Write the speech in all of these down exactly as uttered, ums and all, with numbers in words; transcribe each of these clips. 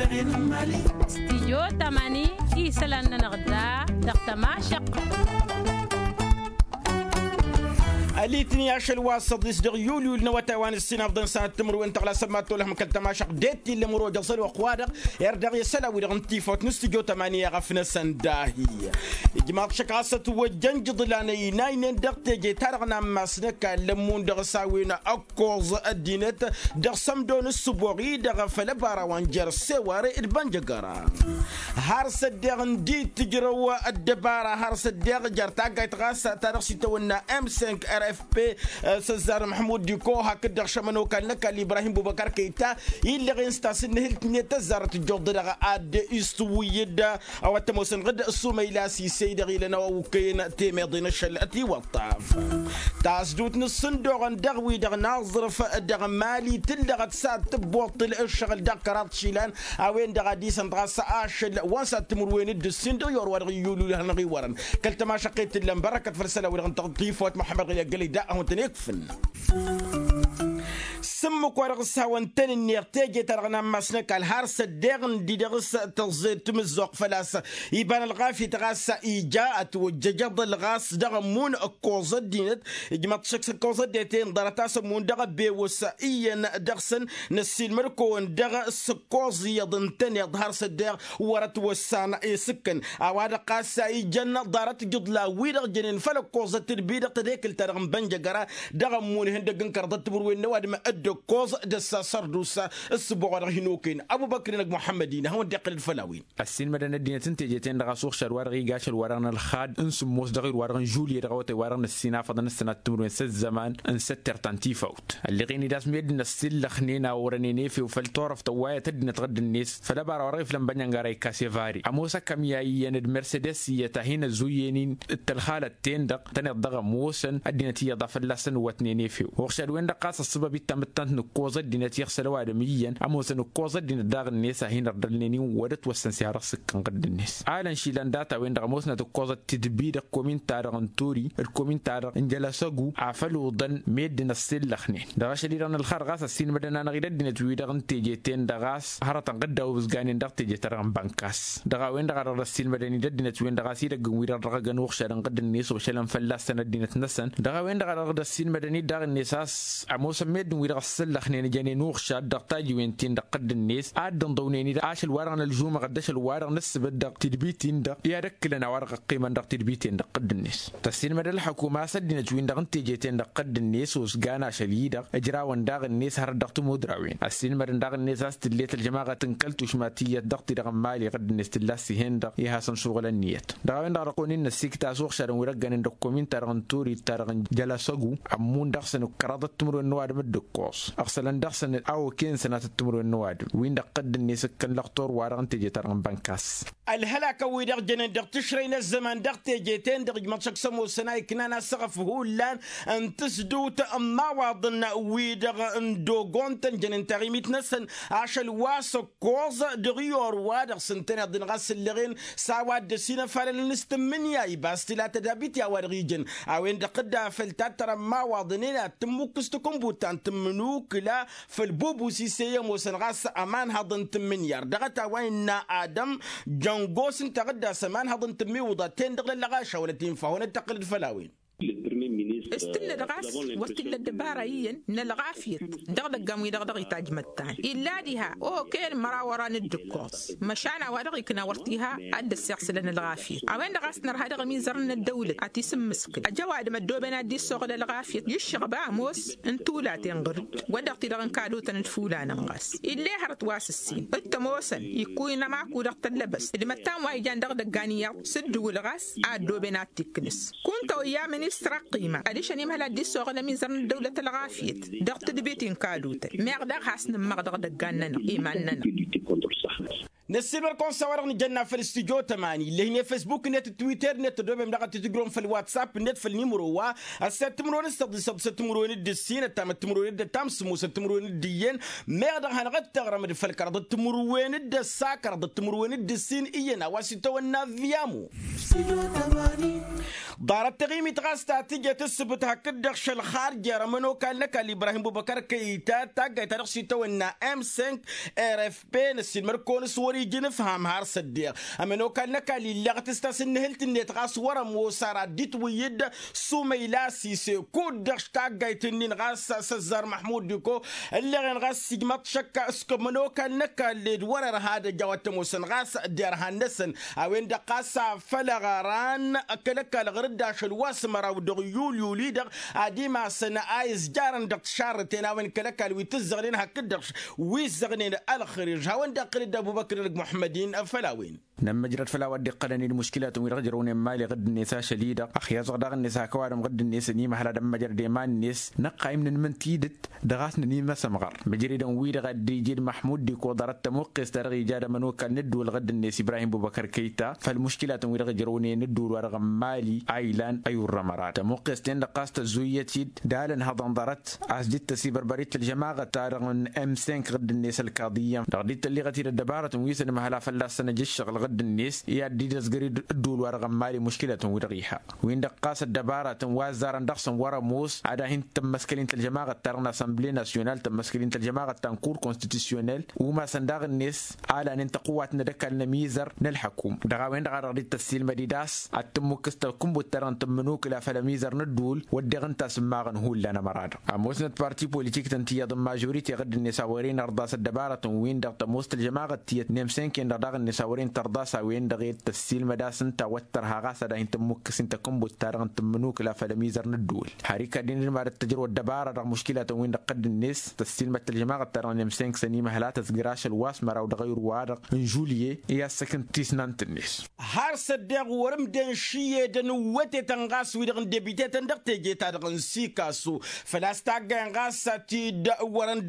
Stijyo tamani isălan-nănăɣ da dăɣ-tămašăq. Alitni ašăl wa s-ăḍis dăɣ-yulyul n-awătay wa n-ǝssin afḍăn s-ad-timǝrwen tăɣlasăn mad-tolăhăm kăl-tămašăq d-e-t-illa imǝrwăj ăẓăl wa ăqq-wa-dăɣ. Erdăɣ i-isălan-wi-dăɣ n-tifawt n-stijyo tamani i-aɣăf-năsăn dahi. Ijmaḍ šăkk ɣas ătwăjjăn jǝḍlan ăynaynen dăɣ-teje-ta-dăɣ n-ammas n-ăkall ămmun dăɣ-s a-wen ăkkoẓ ăddinăt dăɣ-sămdo n-ǝssǝboɣ-i-dăɣ făll-ăbara wa n-jer sewar d-bănjăgăra. Har s-ăddeɣ ǝndi t-ǝjrăw ăddăbara har s-ăddeɣ jer-taggayt ɣas ta dăɣ-s itawănna m cinq r f p s-ăzzar măhmud diko hakd-dăɣ šămăn okal n-ăkall ibrahim bubăkar kăyta illăɣen s-tasǝnnǝhǝlt-net ăzzarăt ǝjjoḍ-dăɣ ad-isǝwǝyyǝd. A-wa t-ămoosăn ɣǝd s-umăyla sisey dăɣ-ilăn a-wa okăyăn temeḍe n-ašăl ătiwăṭṭaf. Tasdut n-ǝssǝndoɣăn dăɣ-wi-dăɣ n-aẓrǝf dăɣ-mali tǝllăɣăt s-ad-tǝbboṭṭǝl ǝššăɣǝl dăɣ-kăraḍ išilan. A-wen-dăɣ a disăn ɣas ašăl wa n-sad-timǝrwen d-ǝssin dăɣ-i orwa dăɣ-iyyulul hanăɣ-iwărăn kăl-tămašăqqet tǝllăn bărăkăt făll-isălan-wi-dăɣ n-tăɣ-tifawt muḥămmăd ɣilya gălăy da a hawăn-tăn-ikfǝn. S-ǝmmǝk wa dăɣ-s hawăn-tăn-ǝnneɣ teje-ta-dăɣ n-ammas n-ăkall har s-ăddeɣ ǝndi dăɣ-s tăẓẓed timǝzzuɣt făl-a-s iba n-ălɣafyăt ɣas ija ătwăjjăjăḍăl ɣas dăɣ-ămmun ǝkkoẓ ăddinăt. Ijmăḍ-t šăkk s-ǝkkoẓ ăddinăt-en ḍarăt a-s ămmun dăɣ-ăbewăs iyyăn dăɣ-săn năssiilmăd-kăwăn dăɣ-s ǝkkoẓ iyyăḍ ǝntăneḍ har s-ăddeɣ wăr-ătwăssan isǝkkăn. A-wa-dăɣ ɣas ijăn ḍarăt ijǝḍlan-wi-dăɣ jănen făll-ǝkkoẓăt tǝdbi dăɣ-tedekǝlt-ta-dăɣ n-bănjăgăra dăɣ-ămmun ihăndăgg n-kăraḍăt timǝrwen n-ăwadǝm d-ǝkkoẓ d-ăssa sărdusa. S-sǝboɣ wa dăɣ-hin-okăyăn ăbubăkr-inăg muḥămmăd-in ad-hawăn-dd-iqqǝl d-făll-a-wen. Ăssiilmădăn ăddinăt n-teje-ten-dăɣ a-s uɣšad wa dăɣ-iga ašăl wa dăɣ-nălx had n-sǝmmos dăɣ-irwa dăɣ-n žulye dăɣ-awătay wa dăɣ-năssinafăḍăn ăssănat timǝrwen s-ăzzăman n-săttert ta n-tifawt. Ălleɣ-in-dd a-s meddǝn ăssillăxnen a orănen efew făll-turăft ăwwayăt ăddinăt ɣǝdd-net făll-ăbara wa dăɣ-iflăn bănyăngara ikasevare ămoos akămya iyyăn d-mersedes iyyăt a hin-ăzzuyyăn-in d-tălxalăt-ten-dăɣ tăneḍ dăɣ-ămoosăn ăddinăt iyyăḍ a fălla-săn ǝwwătnen efew. Uɣšad-wen-dăɣ ɣas ăṣṣăbăb ittamǝttant n-ǝkkoẓ ăddinăt iɣsăl ăwadǝm iyyăn ămoosăn ǝkkoẓ ăddinăt daɣ-net a hin-ărdălnen-in wăr-ătwăssăn s-ihăr ăṣṣǝkkăn ɣǝdd-net. Alăn išilan data-wen-dăɣ ămoosnăt ǝkkoẓăt tidbi dăɣ-komin-ta-dăɣ n-turi d-komin-ta-dăɣ n-jălăsăgu afăl uḍăn meddǝn ăṣṣillăxnen. Dăɣ-ašăl-i-dăɣ n-ălxar ɣas ăssiilmădăn-anăɣ-dd ăddinăt-wi-dăɣ n-teje-ten-dăɣ a-s hărătăn ɣǝdda obǝzganen dăɣ-teje-ta-dăɣ n-bănkas. Dăɣ-a-wen-dăɣ a dăɣ-dd-ăssiilmădăn-dd ăddinăt-wen-dăɣ a-s idăgg n-wi-dăɣ dăɣ-ăgg ănuɣšad n-ɣǝdd-net ošălăn fălla-săn ăddinăt-năsăn. Dăɣ-a-wen-dăɣ a dăɣ-dd-ăssiilmădăn-dd daɣ-net a-s ămoosăn meddǝn-wi-dăɣ ăssăllăxnen ǝjănen uɣšad dăɣ-tajiwen-tin-dăɣ ɣǝdd-net ad-dd-ǝnḍăwnen-dd ašăl-wa-dăɣ n-ălžumăɣăt d-ašăl-wa-dăɣ n-ǝssǝbǝt dăɣ-tidbit-in-dăɣ i-ad-ǝkkǝlăn a-wa dăɣ-ăqqimăn dăɣ-tidbiten dăɣ-ɣǝdd-net. Tăssiilmăd ălxăkuma a-s ăddinăt-win-dăɣ n-teje-ten-dăɣ ɣǝdd-net osgan ašăl-i-dăɣ ǝjrawăn daɣ-net hărăt dăɣ-tămodrawen. Ăssiilmădăn daɣ-net a-s tǝllet ălžămaɣăt n-kăl-tušma tiyyăt dăɣ-ti-dăɣ n-mali ɣǝdd-net tǝlla s-ih'-en-dăɣ i-hasăn-suɣǝlăn niyyăt. Dăɣ-a-wen-dăɣ a dăɣ-kăwăn-in-năssikt a-s uɣšadăn wi dăɣ-gănen dăɣ-komin-ta-dăɣ n-turi d-ta-dăɣ n-jălăsăgu ămmun dăɣ-săn ǝkkăraḍăt timǝrwen n-ăwadǝm d-ǝkkoẓ ăɣsălăn dăɣ-săn a oken sănatăt timǝrwen n-ăwadǝm-win-dăɣ ɣǝdd-net ǝkkăn lăxtur-wa-dăɣ n-teje-ta-dăɣ n-bănkas. Ălhălakăn-wi-dăɣ jănen dăɣ-tǝšrăy n-ăzzăman dăɣ-teje-ten-dăɣ ijmăḍ šăkk s-ămoosăn a iknan asăɣăf hullan n-tǝsdǝwt n-imawaḍăn-wi-dăɣ n-dogon-tăn jănen taɣimit-năsăn ašăl wa s-ǝkkoẓ dăɣ-i orwa-dăɣ s-ǝntăneḍ-in ɣas ǝllăɣen s-a-wa dd-ăsinăfalălăn s-tǝmmǝnǝya ibas tǝla tădabit i-a-wa-dăɣ ijăn. A-wen-dăɣ dd-afăl tattăra n-imawaḍăn-en ad-tǝmmǝkkǝs takǝnbut ta n-tǝmmǝnukǝla făll-bubus isey ămoosăn ɣas ămanhăḍ n-tǝmmǝnǝyar dăɣ-ătaway n-innă adăm jăngos ǝnta ɣǝddas ămanhăḍ n-tǝmmiwǝḍa-ten-dăɣ lăllăɣaša wăla t-infa hawăn-dd-tăqqǝlăd făll-a-wen. S-tǝllăd ɣas wăr t-illa ăddăbara iyyăn n-ălɣafyăt dăɣ-idăggan-wi-dăɣ dăɣ-itajmăttan illa diha okăyăn mărawăran d-ǝkkoẓ măšan a-wa dăɣ-ikna wăr t-iha ad-dd-ăssiɣsǝlăn ălɣafyăt. A-wen-dăɣ a-s nărha dăɣ-imizărăn n-ăddăwlăt ad-t-isǝmmǝskǝl ăj ăwadǝm ăddooben ad-dd-issoɣǝl ălɣafyăt iššăɣba ămoos n-tulaten ɣǝr-dd wăr dăɣ-t-dăɣ n-kadotăn d-fulanăn ɣas ill'-e hărăt wa s-ǝssin d-tămoosăn ikkuy n-amaku dăɣ-tăllăbăst d-imăttan wa ijan dăɣ-idăggan iyyăḍ s-ǝddǝwǝl ɣas a ăddooben ad-t-ikkǝnǝs. Kunta oyya ministăr ăqqima adiš ănimhăl ad-dd-issoɣǝl ămizăr n-ăddăwlăt ălɣafyăt dăɣ-tǝdbit n-kadotăn meɣ daɣ has-nǝmmăɣ dăɣ-idăggan-nănăɣ iman-nănăɣ. Năssiilmăr-kăwăn s-a-wa-dăɣ nǝjănna făll-studyo tămani ǝllăhǝyne fesbuk-net d-twitter-net tăddomem daɣ ad-tǝtǝjrăwăm făll-whatsapp-net făll-nimro wa ăssed timǝrwen s-tăḍisăḍ s-timǝrwen d-ǝssin ăttamăt timǝrwen d-ăttam s-musăt timǝrwen d-iyyăn. Meɣ dăɣ-hanăɣ-dd-tăɣrăm d-făll-kăraḍăt timǝrwen d-ăssa kăraḍăt timǝrwen d-ǝssin iyyăn a-wa s-itawănna viyamo. Ḍarăt taɣimit ɣas ta tǝjăt ǝssǝbǝt hakd-dăɣ šălxar jer-ămănokal n-ăkall ibrahim bubăkăr kăyta taggayt ta dăɣ-s itawănna m cinq. Rfp năssiilmăr-kăwăn s-wăr-ija inǝfham har s-ăddeɣ ămănokal n-ăkall illăɣ tǝstas n-nǝhǝlt-net ɣas wăr-ămoos ara dd-itwǝyyǝd. Sumăyla sise kud-dăɣ taggayt-nin ɣas s-ăzzar măḥmud diko ǝlleɣen ɣas ijmaḍ šăkk s-kămănokal n-ăkall ed wăr-ărha ad-ăj a-wa t-ămoosăn ɣas derhan-năsăn. A-wen-dăɣ ɣas a făl ăɣran kăl-ăkall ɣur-dd ašăl wa s-măraw dăɣ-yulyul-i-dăɣ ad-imasăn a izjarăn dăɣ-tišarrăten a-wen kăl-ăkall wi t-ǝzzăɣnen hakd-dăɣ wi ǝzzăɣnen ălxăriž hawăn-dd-iqqǝl-dd ăbubăkr n-ăgg muḥămmăd-in. Făll-a-wen. Nămmăjrăd făll-a-wa dd-iqqălăn-dd muškilatăn wi-dăɣ ǝjrăwnen mali ɣǝdd-net ašăl-i-dăɣ ăxyaẓăɣ daɣ-net hak ăwadǝm ɣǝdd-net ănimăhăl ad-ămmăjrăd i-iman-net. Năqqayǝm nǝnmǝn tidǝt dăɣ-a-s nănimăsămɣăr mǝjridăn-wi-dăɣ a dd-ija d-măḥmud d-ikoḍărăt tămuqqes-ta-dăɣ ija d-ămănokal n-ǝddǝwǝl ɣǝdd-net ibrahim bubăkăr kăyta făll-muškilatăn-wi-dăɣ ǝjrăwnen ǝddǝwǝl-wa-dăɣ n-mali a ilan ăyurrăm ărad tămuqqes-ten-dăɣ ɣas tăzzuyyăt-dd d-alăn hăḍăn ḍarăt a-s dd-tăsibărbăr-dd tălžămaɣăt-ta-dăɣ n-m cinq ɣǝdd-net ălkaḍiyyăm dăɣ-dd-tălliɣăt-dd ăddăbarătăn wi s-ănmăhăl a fălla-săn ăj ǝššăɣǝl ɣǝdd-net i-ad-dd-idăzgăr-dd ǝddǝwǝl-wa-dăɣ n-mali muškilatăn-wi-dăɣ iha. Win-dăɣ ɣas ăddăbarătăn wa ăzzarăn dăɣ-săn wăr-ămoos ad-ahin-tămmăskăl-in tălžămaɣăt-ta-dăɣ n-asănble nasyonal tămmăskăl-in tălžămaɣăt ta n-kur konstitisyonel umasăn daɣ-net alanen tăqǝwwat n-ad-ăkall n-ămizăr n-ălḥăkum. Dăɣ-a-wen-dăɣ a dăɣ-dd-tăssiilmăd-dd a-s ad-tǝmmukǝs takǝnbut-ta-dăɣ n-tǝmmǝnukǝla făll-ămizăr n-ădduul wădden ǝnta a-s ǝmmaɣăn hullan ămăra-dăɣ ămoosnăt parti politik-tăn tiyyăḍ n-mažorite ɣǝdd-net a wăren ărḍas ăddăbarătăn-win-dăɣ tămoos tălžămaɣăt tiyyăt n-emsenken-dăɣ daɣ-net a wăren tărḍas a-wen-dăɣ ed tăssiilmăd a-s ǝnta wăr tărha ɣas ad-ahin-tǝmmukǝs-in takǝnbut-ta-dăɣ n-tǝmmǝnukǝla făll-ămizăr n-ădduul. Har ikad-in d-mad-ăttăjrăw ăddăbara dăɣ-muškilatăn-win-dăɣ ɣǝdd-net tăssiilmăd tălžămaɣăt-ta-dăɣ n-emsenk s-ănimăhăl a tăzgǝr ašăl wa s-măraw dăɣ-ayǝr-wa-dăɣ n-žulye i-assăk n-tisnant-net. Har s-ăddeɣ wăr-ǝmden šiyedăn wătetăn ɣas wi-dăɣ n-debitetăn dăɣ-teje-ta-dăɣ n-sikasu făl-a-s taggayen ɣas a t-dd-wărăn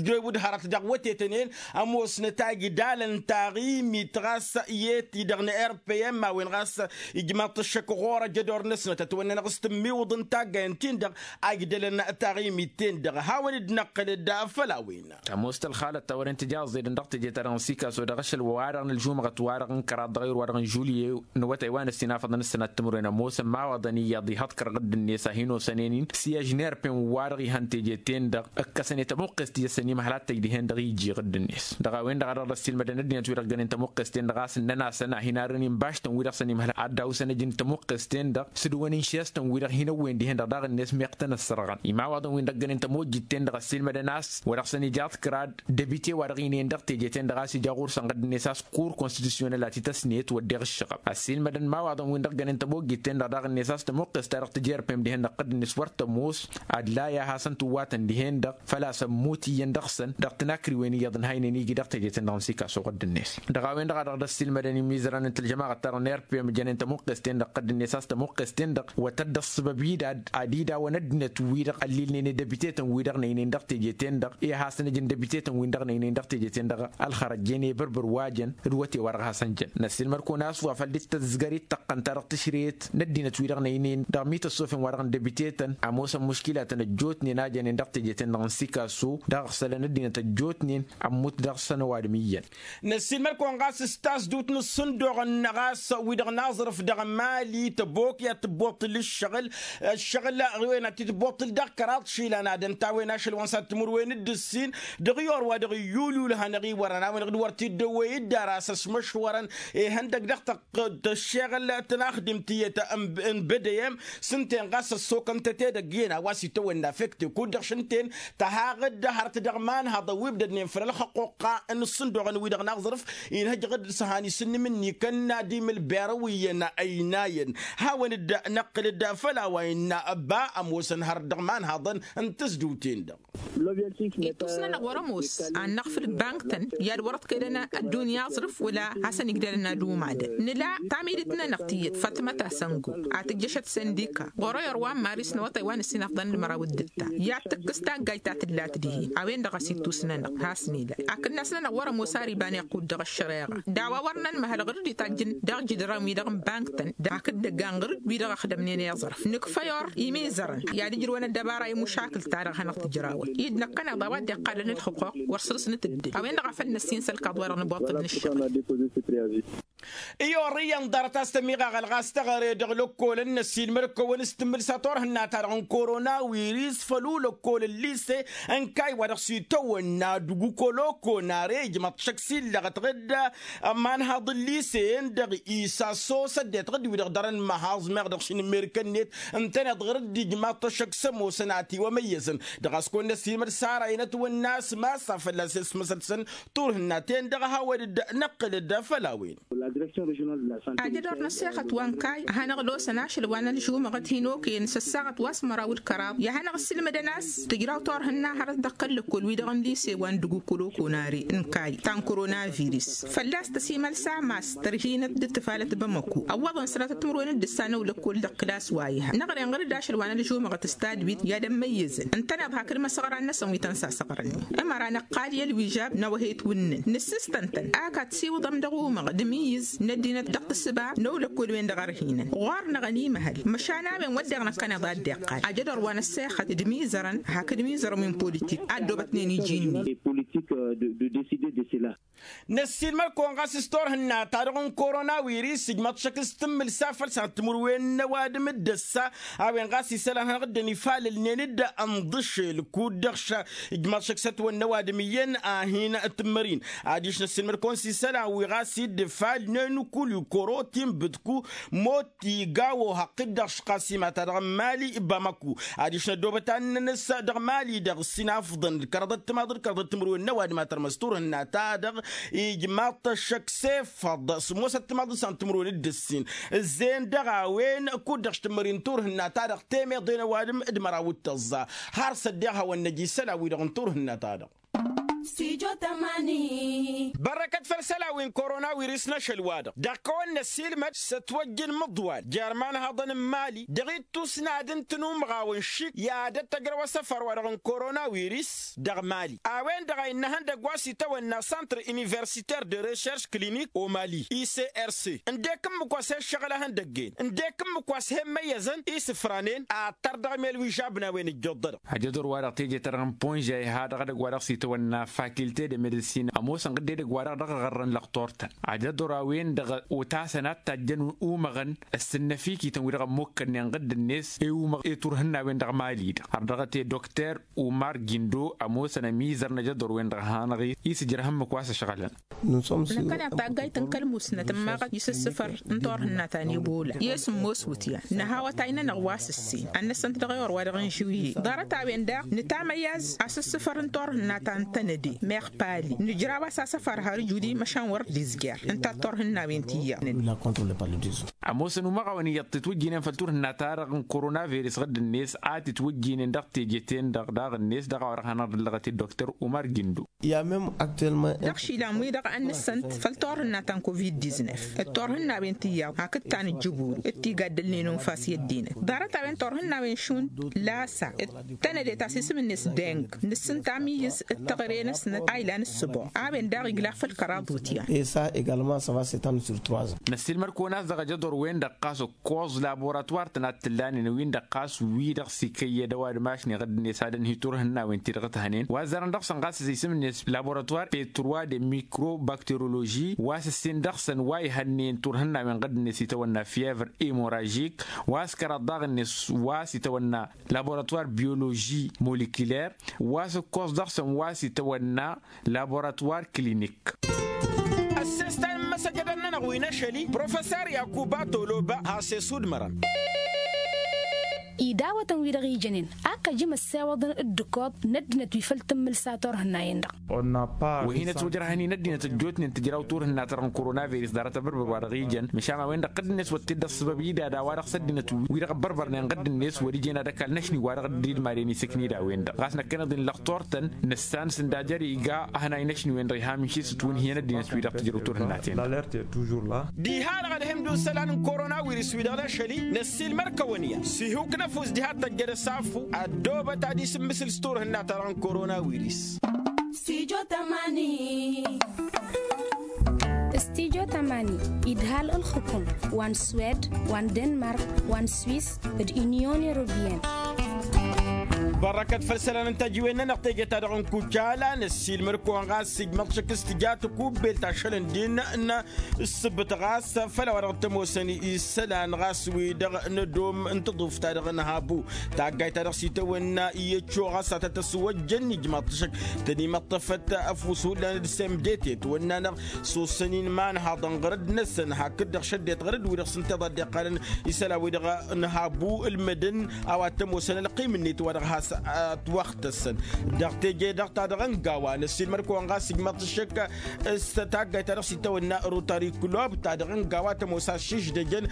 d-ewǝd hărăt dăɣ-wătetăn-en. Ămoosnăt a igdalăn taɣimit ɣas i-ti-dăɣ n-rpm a-wen ɣas ijmaḍ-t ǝššăk ɣur-ăjădor-năsnăt ătwănnănăɣ s-tǝmmiwǝḍ n-taggayen-tin-dăɣ a igdălăn taɣimit-ten-dăɣ hawăn-dd-năqqǝl-dd. Făll-a-wen. Tămoos tălxalăt ta wăren tǝjaẓ edăn dăɣ-teje-ta-dăɣ n-sikaso dăɣ-ašăl-wa-dăɣ n-ălžumăɣăt-wa-dăɣ n-kăraḍ dăɣ-ayǝr-wa-dăɣ n-žulye n-awătay wa n-ăssinafăḍăn ǝssănat timǝrwen ămoosăn imawaḍăn iyyăḍ ihăḍkăr ɣǝdd-net a hin-osănen-in s-i ăžnerpen-wa-dăɣ ihăn teje-ten-dăɣ ǝkkăsăn i-tămuqqest i-ăssăn imhăl ad-tăj dihen-dăɣ iji ɣǝdd-net. Dăɣ-a-wen-dăɣ a dăɣ-dd-ăssiilmădăn ăddinăt-wi-dăɣ gănen tămuqqest-ten-dăɣ a-s ǝnnăn-asăn a hin-arrǝn inbaštăn-wi-dăɣ s-ănimhăl ad-dawsăn ăj n-tămuqqest-ten-dăɣ s-dd-wăn-inšes-tăn-wi-dăɣ hin-ăwwen dihen-dăɣ daɣ-net meɣ tăn-ăssărɣăn imawaḍăn-win-dăɣ gănen tămojjit-ten-dăɣ ăssiilmădăn a-s wa dăɣ-săn ija aḍkăr ad-debite wa dăɣ-inăyăn dăɣ-teje-ten-dăɣ a-s ija ɣur-săn ɣǝdd-net a-s kur konstitisyonel a t-ităsnet wădden ǝššăɣăb ăssiilmădăn imawaḍăn-win-dăɣ gănen tămojjit-ten-dăɣ daɣ-net a-s tămuqqes ta dăɣ-tǝjerpem dihen-dăɣ ɣǝdd-net wăr tămoos ad-laya a hasăn-tǝwwatăn dihen-dăɣ făl-a-s ămmut iyyăn dăɣ-săn dăɣ-tinakriwen iyyăḍ n-haynen iji dăɣ-teje-ten-dăɣ n-sikaso ɣǝdd-net. Dăɣ-a-wen-dăɣ a dăɣ-dd-ăssiilmădăn imizărăn n-tălžămaɣăt-ta-dăɣ n-erpem jănen tămuqqes-ten-dăɣ ɣǝdd-net a-s tămuqqes-ten-dăɣ wa tădd-ăṣṣăbăb-dd ad-idawăn ăddinăt-wi-dăɣ ăllilnen i-debite-tăn-wi-dăɣ năynăyăn dăɣ-teje-ten-dăɣ i-ad-hasăn-ǝjǝn debite-tăn-win-dăɣ năynăyăn dăɣ-teje-ten-dăɣ ălxărăt jăn i-bărbăr wa jăn d-wăte wa dăɣ-hasăn-jăn. Năssiilmăd-kăwăn a-s wa făl dd-tăzgăr-i d-tăqqăn-ta-dăɣ tǝšreyăt n-ăddinăt-wi-dăɣ năynăyăn dăɣ-mităssofen wa-dăɣ n-debite-tăn ămoosăn muškilatăn ăjjootnen a jănen dăɣ-teje-ten-dăɣ n-sikasu dăɣ-iɣsălăn ăddinăt ăjjootnen ămmut dăɣ-săn ăwadǝm iyyăn. Năssiilmăd-kăwăn ɣas s-tasdut n-ǝssǝnduɣăn ɣas wi-dăɣ n-aẓrǝf dăɣ-mali tăbokya tǝbboṭṭǝl ǝššăɣǝl ǝššăɣǝl ɣǝwen ad-t-tǝbboṭṭǝl dăɣ-kăraḍ išilan ad-ănta a-wen ašăl wa n-săr timǝrwen d-ǝssin dăɣ-iyor wa dăɣ-iyyulyul hanăɣ-iwărăn a-wen-dăɣ d-wăr t-dd-ăwwey dd-ara a-s ăšmăšwărăn. Ihăndăg dăɣ-tăɣ tăššeɣăl tănaxdimt tiyyăt n-bedăyem s-ǝnta-en ɣas ăssokăn tăt-edăgg iyyăn a-wa s-itawănna fekte kud-dăɣ šǝnta-en tăhaɣ-dd hărăt dăɣ-imanhăḍăn wi ǝbdădnen făll-ălxăqquqqa n-ǝssǝnduɣăn-wi-dăɣ n-aẓrǝf. Inhăjjăɣ-dd s-han isǝnnǝm-ǝnni kănna d-imǝlberăw iyyăn ăynayăn. Hawăn-dd-năqqǝl-dd făll-a-wa innă ăbba ămoosăn hărăt dăɣ-imanhaḍăn n-tǝzdǝwten-dăɣ. Ittus-nănăɣ wăr-ămoos ad-năɣfǝl bang-tăn i-ad-wăr-ăḍkăyălăn ăddunya aẓrǝf wăla hasăn-igdălăn ad-umadăn. Nǝla tamidǝt-nănăɣ tiyyăt fatmăt asăngo ad-tǝjjăšăt săndika ɣur-ăyăr wa n-maris n-awătay wa n-ǝssin afḍăn d-măraw d-ǝtta i-ad-tǝkkǝs taggajt ta tǝllat dihen. A-wen-dăɣ a-s ittus-nănăɣ has-nila akǝnnas-nănăɣ wăr-ămoos ar iba n-iqqud dăɣ-ăššăreɣa d-a-wa wăr nănmăhăl ɣǝr-dd itajjǝn dăɣ-jǝdran-wi-dăɣ n-bang-tăn. Hakd-dd-ăggan ɣǝr-dd wi-dăɣ ăxdămnen i-aẓrǝf nǝkfăy or imizărăn i-ad-ǝjrǝwăn ăddăbara i-mušakǝl-ta-dăɣ a hanăɣ-tǝjrawăt-dd năkkăneḍ a-wa dd-iqqalăn ǝlxǝquq wăr săr-s nǝtǝddǝl. A-wen-dăɣ a făl năssin s-ălkaḍ-wa-dăɣ nǝbwăḍ-tăd n-ǝššăɣǝl. I-orrǝyăn ḍarăt a-s tămiɣaɣăl ɣas teɣăre dăɣ-lăkkolăn n-ăssiilmăd-kăwăn s-tǝmmǝlsa turhǝnna-ta-dăɣ n-korona wiris făll-ulăkkol n-lise n-kayy wa dăɣ-s itawănna d-gukoloko n-are ijmăḍ šăkk s-illăɣăt ɣǝdda. Ămanhaḍ n-lise-en-dăɣ isasso s-ăddinăt ɣǝdda wi-dăɣ dăr-ănmăhaẓ meɣ dăɣ-šinǝmmerǝk-net ǝntăneḍ ɣǝr-dd ijmaḍ-t ăššăk s-ămoosăn a tiwămăyyăzăn. Dăɣ-a-s kăwăn-năssiilmăd sara-in ătwănna a-s massa fălla-s i-ăsmăsălsăn turhǝnna-ten-dăɣ a hawăn-dd-năqqǝl-dd făll-a-wen. Ajădor n-ăssexăt wa n-kayy a hanăɣ-losăn ašăl wa n-ălžumăɣăt hin-okăyăn s-ăssaɣăt wa s-măraw d-kăraḍ i-ad-hanăɣ-ǝssilmădăn a-s tǝjraw turhǝnna hărăt dăɣ-kăl-lăkkol-wi-dăɣ n-lise wa n-dugukul okonare n-kayy ta n-koronavirus. Fălla-s tăsimălsa mass tărhinăt d-ǝttǝfalăt bamăku ăwwăḍăn sănatăt timǝrwen d-ǝssa n-ăwlăkkol dăɣ-kǝlas wa iha năɣren ɣǝr-dd ašăl wa n-ălžumăɣăt s-tadwit i-ad-ămmăyyăzăn ǝntăneḍ hakd imăsăɣran-năsăn wi tăn-sasăɣrănnen. Ămăra năqqal i-ălwižab n-awăheyt wǝnnǝn nǝssǝstăn-tăn ak ad-tǝsiwǝḍăm dăɣ-umăɣ d-imǝyyǝz n-ăddinăt dăɣ-tǝssǝba n-ăwlăkkol-wen-dăɣ ărhinăn ɣur-năɣ ănimăhăl măšan a-wen wădden năkkăneḍ a dd-iqqal ajădor wa n-ăssexăt d-imizărăn hakd imizărăn wi n-politik a ăddoobătnen iji-net. Năssiilmăd-kăwăn ɣas s-turhǝnna-ta-dăɣ n-korona wiris ǝjmăḍ šăkk s-tǝmmǝlsa făll-san timǝrwen n-ăwadǝm d-ăssa. A-wen ɣas isălan hanăɣ-dd-ănifalălnen-dd ănḍǝšel kud-dăɣ ǝjmăḍ šăkk s-ătwănna ăwadǝm iyyăn a hin-tǝmmărin. Adiš năssiilmăd-kăwăn s-isălan wi ɣas idd-ǝfalnen kul ikorotin bǝdku mot tigawo hăqqit-dăɣ šqasima-ta-dăɣ n-mali bamăku. Adiš n-ăddoobăt ad-nǝnǝs dăɣ-mali-dăɣ s-inafḍăn d-kăraḍăt timaḍ d-kăraḍăt timǝrwen n-ăwadǝm a tărmăs turhǝnna-ta-dăɣ ijmaḍ-t ăššăk s-efăḍ s-ămoosăt timaḍ d-san timǝrwen d-ǝssin. Ǝzzeyăn dăɣ-a-wen kud-dăɣ s-tǝmmări n-turhǝnna-ta-dăɣ temeḍe n-ăwadǝm d-măraw d-tăẓẓa har s-ăddeɣ hawăn-năj isălan-wi-dăɣ n-turhǝnna-ta-dăɣ. Bărrăkăt făll-isălan wi n-korona wiris n-ašăl-wa-dăɣ dăɣ-kăwăn-năssiilmăd s-ătwăjj n-imǝḍwal jer-imanhaḍăn n-mali dăɣ-ittus n-ad-ǝntǝn umɣaw n-išik i-ad-ăttăjrăw asăfar-wa-dăɣ n-korona wiris dăɣ-mali. A-wen-dăɣ a innă ihăndăgg wa s-itawănna centre universitaire de recherche clinique o mali icrc ǝndek ǝmmǝk wa s-he-ǝššăɣǝl ihăndăgg-en ǝndek ǝmmǝk wa s-he-ǝmmăyyăzăn isǝfranen ad-tăr dăɣ-mel wi žabnawen ǝjjoḍ-dăɣ. Ajădor-wa-dăɣ teje-ta-dăɣ n-ponže a iha dăɣ-edăgg wa dăɣ-s itawănna fakilte de medăssin ămoosăn ɣǝdde edăgg wa-dăɣ dăɣ-aɣărrăn lăqtor-tăn. Ajădor a-wen-dăɣ otasăn ad-tajjăn umăɣăn ăssǝnnăfikităn wi-dăɣ ămmukkănnen ɣǝdd-net i-umăɣ i-turhǝnna-wen dăɣ-mali-dăɣ har dăɣ-t i-dokter umar gindo ămoosăn ămizăr n-ajădor-wen-dăɣ hanăɣ-isǝjrăh ǝmmǝk wa s-ăšɣălăn. Năkkăneḍ taggayt n-kăl-musnăt ǝmmaɣăt isǝssǝfăr n-turhǝnna ta n-ebola i-asǝmmos wǝtyan nǝha awătay-nănăɣ wa s-ǝssin ad-năssănt dăɣ-ewăr wa dăɣ-n žǝwye. Ḍarăt-a-wen daɣ nǝtamăyyaz asǝssǝfăr n-turhǝnna ta n-tănăde meɣ pali nǝjraw-as asăfar har ǝjudi măšan wăr dd-izjer ǝnta d-turhǝnna-wen ti iyyăḍnen. Ămoosăn umăɣawăn iyyăḍ titwǝjjinen făll-turhǝnna-ta-dăɣ n-koronavirus ɣǝdd-net a titwǝjjinen dăɣ-teje-ten-dăɣ daɣ-net dăɣ-a-wa dăɣ-hanăɣ-dd-ăllăɣăt i-doktor umar gindo. Dăɣ-išilan-wi-dăɣ a ǝnnǝssănt făll-turhǝnna ta n-covid-diznef d-turhǝnna-wen ti iyyăḍ hakd ta n-ǝjjǝburu d-tigaddălnen unfas i-ăddinăt. Ḍarăt-a-wen turhǝnna-wen šund lasa d-tănăde ta s-isǝm-net deng nǝssǝnta amǝyyǝz d-teɣăre-năsnăt a ilan ǝssǝboɣ a-wen daɣ igla făll-kăraḍ wǝtyan. Năssiilmăd-kăwăn a-s dăɣ-ajăḍor-wen-dăɣ ɣas ǝkkoẓ laboratuwar-tăn ad-t-ǝllanen wi-dăɣ ɣas wi-dăɣ s-ikăyyed ăwadǝm ašni ɣǝdd-net ad-ănhǝy turhǝnna-wen-ti-dăɣ ǝthănen wa ăzzarăn dăɣ-săn ɣas isǝm-net laboratuwar petrwa de mikrobakteroloži wa s-ǝssin dăɣ-săn wa ihănnen turhǝnna-wen ɣǝdd-net itawănna fievr imoražik wa s-kăraḍ daɣ-net wa s-itawănna laboratuwar biyoloži molikiler wa s-ǝkkoẓ dăɣ-săn wa s-itawănna laboratuwar klinik. Ăssestan n-imăsăjădăn-nănăɣ wi n-ašăl-i professer yakuba toloba has-e-sudmărăn. Idawătăn-wi-dăɣ ijănen ak ăjǝm ăssewăḍăn d-ǝkkoḍ n-ăddinăt wi făl tǝmmǝlsa turhǝnna-en-dăɣ. Wa hin-ătwăjrăhăn-in ăddinăt ăjjootnen tǝjraw turhǝnna ta-dăɣ n-koronavăris ḍarăt abărbăr wa dăɣ-ijăn măšan a-wen-dăɣ ɣǝdd-net wăr t-dd-ăṣṣăbăb ida d-a-wa-dăɣ s-ăddinăt wi-dăɣ ăbbărbărnen ɣǝdd-net wăr-ijăn ad-ăkall n-ašni wa dăɣ-dd-idmaden isǝknid a-wen-dăɣ ɣas năkkăneḍ-in lăxtur-tăn. Nǝssan s-ǝnda jer-iga ăhănay n-ašni-wen-dăɣ iha mǝnšisǝt wǝnhǝyăn ăddinăt wi-dăɣ tǝjrăw turhǝnnaten. Diha-dăɣ ad-himdun isălan n-korona wirǝs wi-dăɣ n-ašăl-i năssiilmăr-kăwăn-i s-ihuk n-ăfuss diha d-tăjjăd ăsafu ăddoobăt ad-isǝmmǝsǝl s-turhǝnna-ta-dăɣ n-korona wirǝs. Stijo tamani. Stijo tamani idhal ǝlxǝkum wa n-swed wa n-denmark wa n-swis d-inyon europiyăn. Bărrăkăt făll-isălan n-tăjiwen-nănăɣ teje-ta-dăɣ n-kucala năssiilmăr-kăwăn ɣas ijmăḍ šăk s-tǝja tăkubbelt ašăl ǝndin n-ǝssǝbǝt ɣas făll-a-wa dăɣ-t-ămoosăn isălan ɣas wi-dăɣ n-ădom n-taḍuft-ta-dăɣ n-habu. Taggayt-ta-dăɣ s-itawănna i-ăccoɣ a-s a tăt-ăswăjjăn ijmaḍ-t šăk tăn-imăṭṭăfăt ăfuss hullan d-semdet i-ătwănna-năɣ s-ossăn-in imanhaḍăn ɣărăd-năsăn hakd-dăɣ šăddet ɣărăd-wi-dăɣ s-ǝnta i-ḍa dd-iqqalăn isălan-wi-dăɣ n-habu ǝlmǝdăn a-wa t-ămoosăn ălqim-net wa dăɣ-has ătwăxtăsăn. Dăɣ-teje-dăɣ ta dăɣ-ăngawa năssiilmăr-kăwăn ɣas ijmaḍ-t šăk s-taggayt-ta-dăɣ s-itawănna rotari club ta dăɣ-ăngawa tămoos a-s šiždăjăn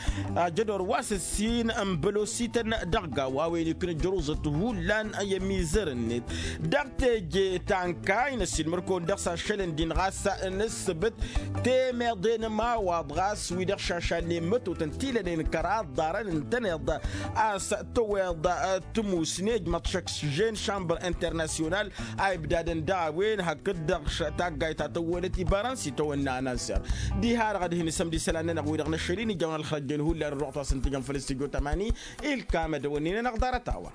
ajădor wa s-ǝssin n-bălosităn dăɣ-gawa a-wen ikna ǝjruzăt hullan i-ămizăr-net. Dăɣ-teje ta n-kayy năssiilmăr-kăwăn dăɣ-s ašălăn din ɣas n-ǝssǝbǝt temeḍe n-ămawaḍ ɣas wi-dăɣ šašalnen mătotăn ti lănen kăraḍ ḍarăn ǝntăneḍ a-s tăweḍ tǝmusne ijmăḍ šăkk s-žen šambăr internasyonal a ibdadăn daɣ a-wen hakd-dăɣ taggayt ta tăwwălăt ibarăn s-itawănna anănser. Diha-dăɣ ad-hin-isămd isălan-nănăɣ wi-dăɣ n-ašăl-i nǝjjăwăn ălxărăjjăn hullan ărruɣ ta s-ǝntǝjăn făll-s tijo tamani. Ilkam ad-ăwănnin-anăɣ ḍarăt-a-wa.